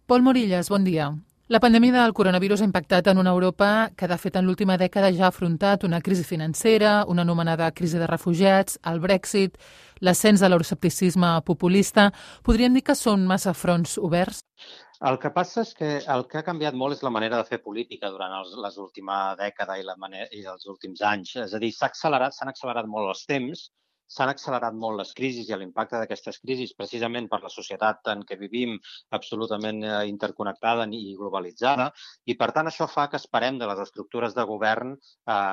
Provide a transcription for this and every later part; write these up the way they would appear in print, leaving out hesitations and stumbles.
Pol Morillas, bon dia. La pandèmia del coronavirus ha impactat en una Europa que, de fet, en l'última dècada ja ha afrontat una crisi financera, una anomenada crisi de refugiats, el Brexit, l'ascens de l'euroscepticisme populista. Podríem dir que són massa fronts oberts? El que passa és que el que ha canviat molt és la manera de fer política durant l'última dècada i els últims anys. És a dir, s'han accelerat molt els temps, s'han accelerat molt les crisis i l'impacte d'aquestes crisis precisament per la societat en què vivim absolutament interconnectada i globalitzada, i per tant això fa que esperem de les estructures de govern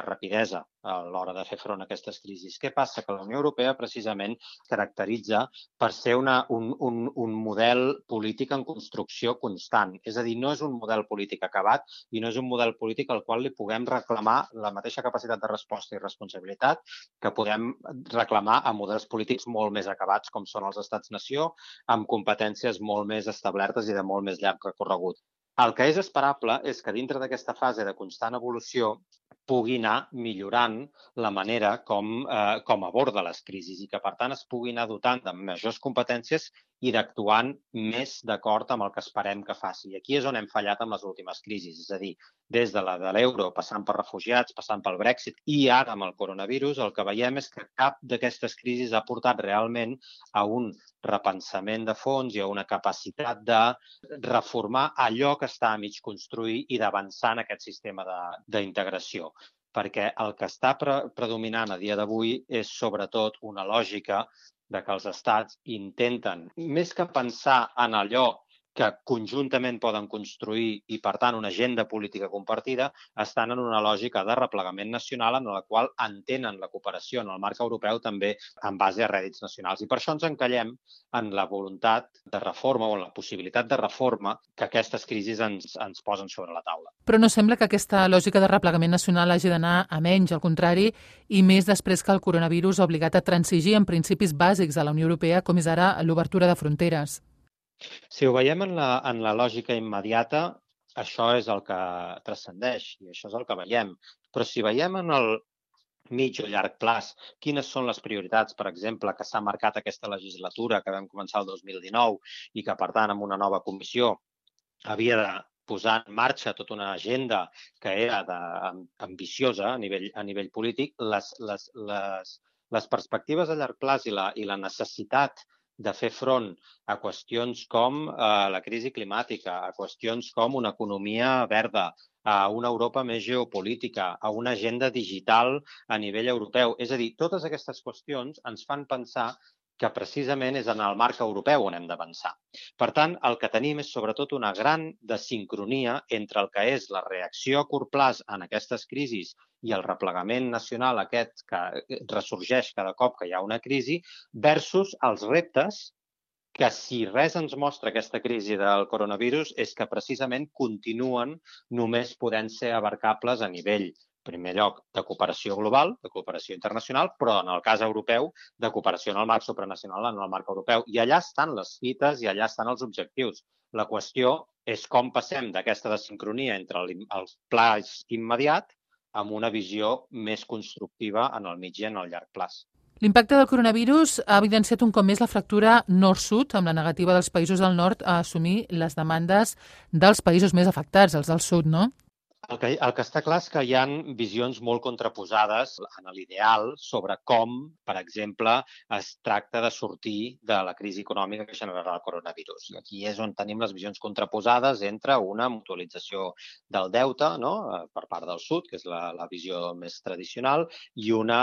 rapidesa a l'hora de fer front a aquestes crisis. Què passa? Que la Unió Europea precisament caracteritza per ser un model polític en construcció constant. És a dir, no és un model polític acabat i no és un model polític al qual li puguem reclamar la mateixa capacitat de resposta i responsabilitat que podem reclamar a models polítics molt més acabats com són els estats-nació, amb competències molt més establertes i de molt més llarg recorregut. El que és esperable és que dintre d'aquesta fase de constant evolució pugui anar millorant la manera com aborda les crisis i que, per tant, es pugui anar dotant de majors competències i d'actuant més d'acord amb el que esperem que faci. I aquí és on hem fallat amb les últimes crisis, és a dir, des de la de l'euro, passant per refugiats, passant pel Brexit i ara amb el coronavirus, el que veiem és que cap d'aquestes crisis ha portat realment a un repensament de fons i a una capacitat de reformar allò que està a mig construir i d'avançar en aquest sistema d'integració. Perquè el que està predominant a dia d'avui és sobretot una lògica de que els estats intenten, més que pensar en allò que conjuntament poden construir i, per tant, una agenda política compartida, estan en una lògica de replegament nacional en la qual entenen la cooperació en el marc europeu també en base a rèdits nacionals. I per això ens encallem en la voluntat de reforma o en la possibilitat de reforma que aquestes crisis ens posen sobre la taula. Però no sembla que aquesta lògica de replegament nacional hagi d'anar a menys, al contrari, i més després que el coronavirus ha obligat a transigir en principis bàsics de la Unió Europea, com és ara l'obertura de fronteres. Si ho veiem en la lògica immediata, això és el que transcendeix i això és el que veiem. Però si veiem en el mig o llarg plaç quines són les prioritats, per exemple, que s'ha marcat aquesta legislatura que vam començar el 2019 i que, per tant, amb una nova comissió havia de posar en marxa tota una agenda que era ambiciosa a nivell polític, les perspectives a llarg plaç i la necessitat de fer front a qüestions com la crisi climàtica, a qüestions com una economia verda, a una Europa més geopolítica, a una agenda digital a nivell europeu. És a dir, totes aquestes qüestions ens fan pensar que precisament és en el marc europeu on hem d'avançar. Per tant, el que tenim és sobretot una gran desincronia entre el que és la reacció a curt plaç en aquestes crisis i el replegament nacional aquest que ressorgeix cada cop que hi ha una crisi versus els reptes que si res ens mostra aquesta crisi del coronavirus és que precisament continuen només podent ser abarcables a nivell, en primer lloc, de cooperació global, de cooperació internacional, però en el cas europeu, de cooperació en el marc supranacional, en el marc europeu. I allà estan les fites i allà estan els objectius. La qüestió és com passem d'aquesta desincronia entre el pla immediat amb una visió més constructiva en el mig i en el llarg plaç. L'impacte del coronavirus ha evidenciat un cop més la fractura nord-sud, amb la negativa dels països del nord a assumir les demandes dels països més afectats, els del sud, no? El que està clar és que hi ha visions molt contraposades en l'ideal sobre com, per exemple, es tracta de sortir de la crisi econòmica que generarà el coronavirus. I aquí és on tenim les visions contraposades entre una mutualització del deute, no?, per part del sud, que és la visió més tradicional, i una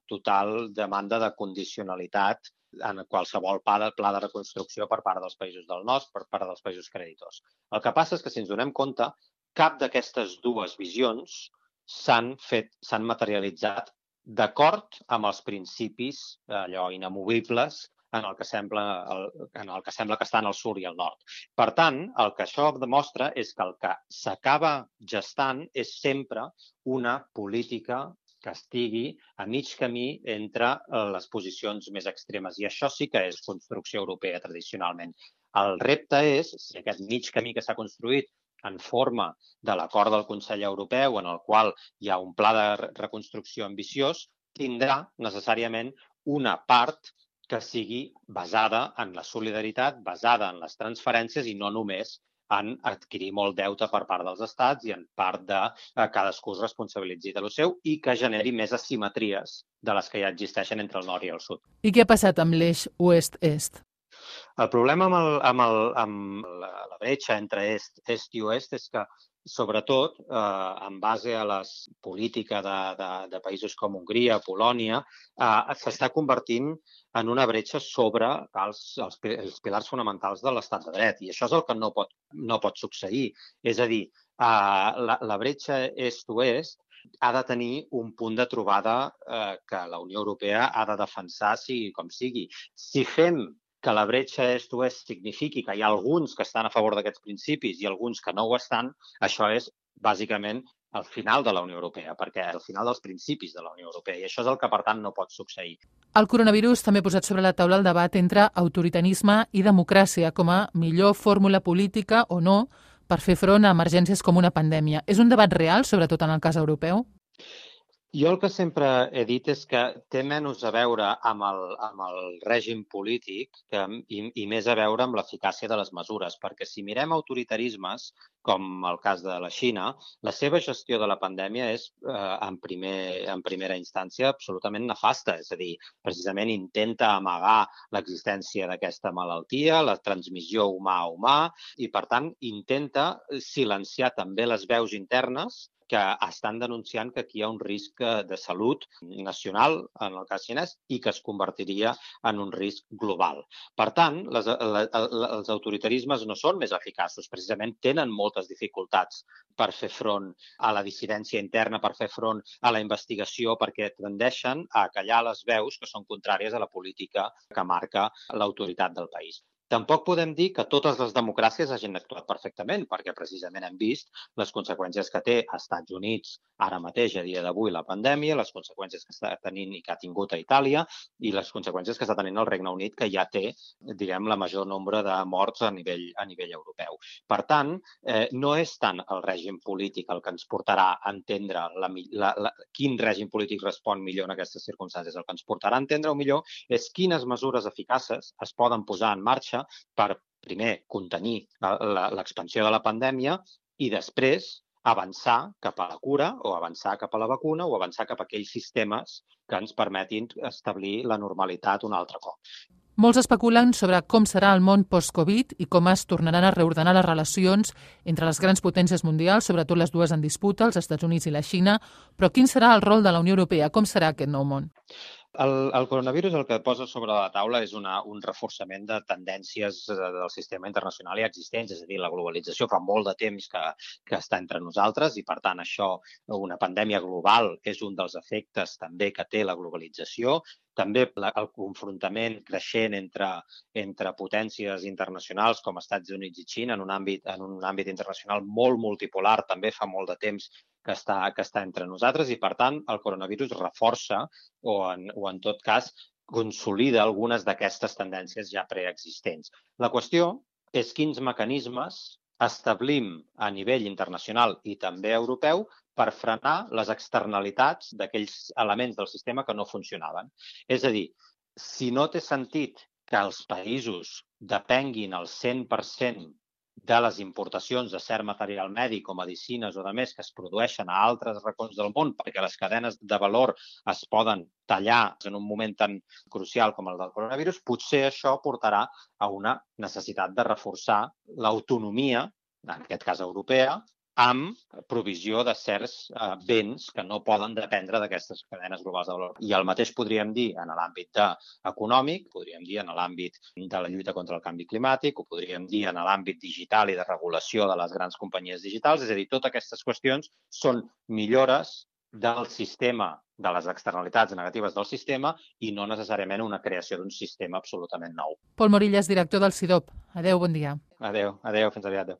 total demanda de condicionalitat en qualsevol pla de reconstrucció per part dels països del nord, per part dels països creditors. El que passa és que, si ens donem compte, cap d'aquestes dues visions s'han materialitzat d'acord amb els principis allò inamovibles en el que sembla que estan al sud i al nord. Per tant, el que això demostra és que el que s'acaba gestant és sempre una política que estigui a mig camí entre les posicions més extremes. I això sí que és construcció europea tradicionalment. El repte és, si aquest mig camí que s'ha construït en forma de l'acord del Consell Europeu, en el qual hi ha un pla de reconstrucció ambiciós, tindrà necessàriament una part que sigui basada en la solidaritat, basada en les transferències i no només en adquirir molt deute per part dels estats i en part de cadascú es responsabilitzi de lo seu i que generi més asimetries de les que ja existeixen entre el nord i el sud. I què ha passat amb l'eix oest-est? El problema amb la bretxa entre est i oest és que, sobretot, en base a la política de països com Hongria, Polònia, s'està convertint en una bretxa sobre els pilars fonamentals de l'estat de dret. I això és el que no pot succeir. És a dir, la bretxa est-oest ha de tenir un punt de trobada que la Unió Europea ha de defensar sigui com sigui. Si fem que la bretxa est-oest signifiqui que hi ha alguns que estan a favor d'aquests principis i alguns que no ho estan, això és bàsicament el final de la Unió Europea, perquè el final dels principis de la Unió Europea, i això és el que, per tant, no pot succeir. El coronavirus també ha posat sobre la taula el debat entre autoritarisme i democràcia com a millor fórmula política o no per fer front a emergències com una pandèmia. És un debat real, sobretot en el cas europeu? Jo el que sempre he dit és que té menys a veure amb el règim polític i més a veure amb l'eficàcia de les mesures, perquè si mirem autoritarismes, com el cas de la Xina, la seva gestió de la pandèmia és, en primera instància, absolutament nefasta. És a dir, precisament intenta amagar l'existència d'aquesta malaltia, la transmissió humà a humà, i, per tant, intenta silenciar també les veus internes que estan denunciant que aquí hi ha un risc de salut nacional, en el cas xinès, i que es convertiria en un risc global. Per tant, els autoritarismes no són més eficaços, precisament tenen moltes dificultats per fer front a la dissidència interna, per fer front a la investigació, perquè tendeixen a callar les veus que són contràries a la política que marca l'autoritat del país. Tampoc podem dir que totes les democràcies hagin actuat perfectament, perquè precisament hem vist les conseqüències que té als Estats Units ara mateix, a dia d'avui, la pandèmia, les conseqüències que està tenint i que ha tingut a Itàlia i les conseqüències que està tenint el Regne Unit, que ja té, diguem, la major nombre de morts a nivell europeu. Per tant, no és tant el règim polític el que ens portarà a entendre quin règim polític respon millor en aquestes circumstàncies. El que ens portarà a entendre millor és quines mesures eficaces es poden posar en marxa per, primer, contenir l'expansió de la pandèmia i després avançar cap a la cura o avançar cap a la vacuna o avançar cap a aquells sistemes que ens permetin establir la normalitat un altre cop. Molts especulen sobre com serà el món post-Covid i com es tornaran a reordenar les relacions entre les grans potències mundials, sobretot les dues en disputa, els Estats Units i la Xina, però quin serà el rol de la Unió Europea? Com serà aquest nou món? El coronavirus el que posa sobre la taula és un reforçament de tendències del sistema internacional ja existents, és a dir, la globalització fa molt de temps que està entre nosaltres i, per tant, això, una pandèmia global, és un dels efectes també que té la globalització. També el confrontament creixent entre potències internacionals com Estats Units i Xina en un àmbit internacional molt multipolar també fa molt de temps que està entre nosaltres i, per tant, el coronavirus reforça o en tot cas consolida algunes d'aquestes tendències ja preexistents. La qüestió és quins mecanismes establim a nivell internacional i també europeu per frenar les externalitats d'aquells elements del sistema que no funcionaven. És a dir, si no té sentit que els països depenguin al 100% de les importacions de cert material mèdic o medicines o de més que es produeixen a altres racons del món perquè les cadenes de valor es poden tallar en un moment tan crucial com el del coronavirus, potser això portarà a una necessitat de reforçar l'autonomia, en aquest cas europea, amb provisió de certs béns que no poden dependre d'aquestes cadenes globals de valor. I el mateix podríem dir en l'àmbit econòmic, podríem dir en l'àmbit de la lluita contra el canvi climàtic, ho podríem dir en l'àmbit digital i de regulació de les grans companyies digitals. És a dir, totes aquestes qüestions són millores del sistema, de les externalitats negatives del sistema i no necessàriament una creació d'un sistema absolutament nou. Pol Morillas, director del CIDOB. Adéu, bon dia. Adéu, fins aviat.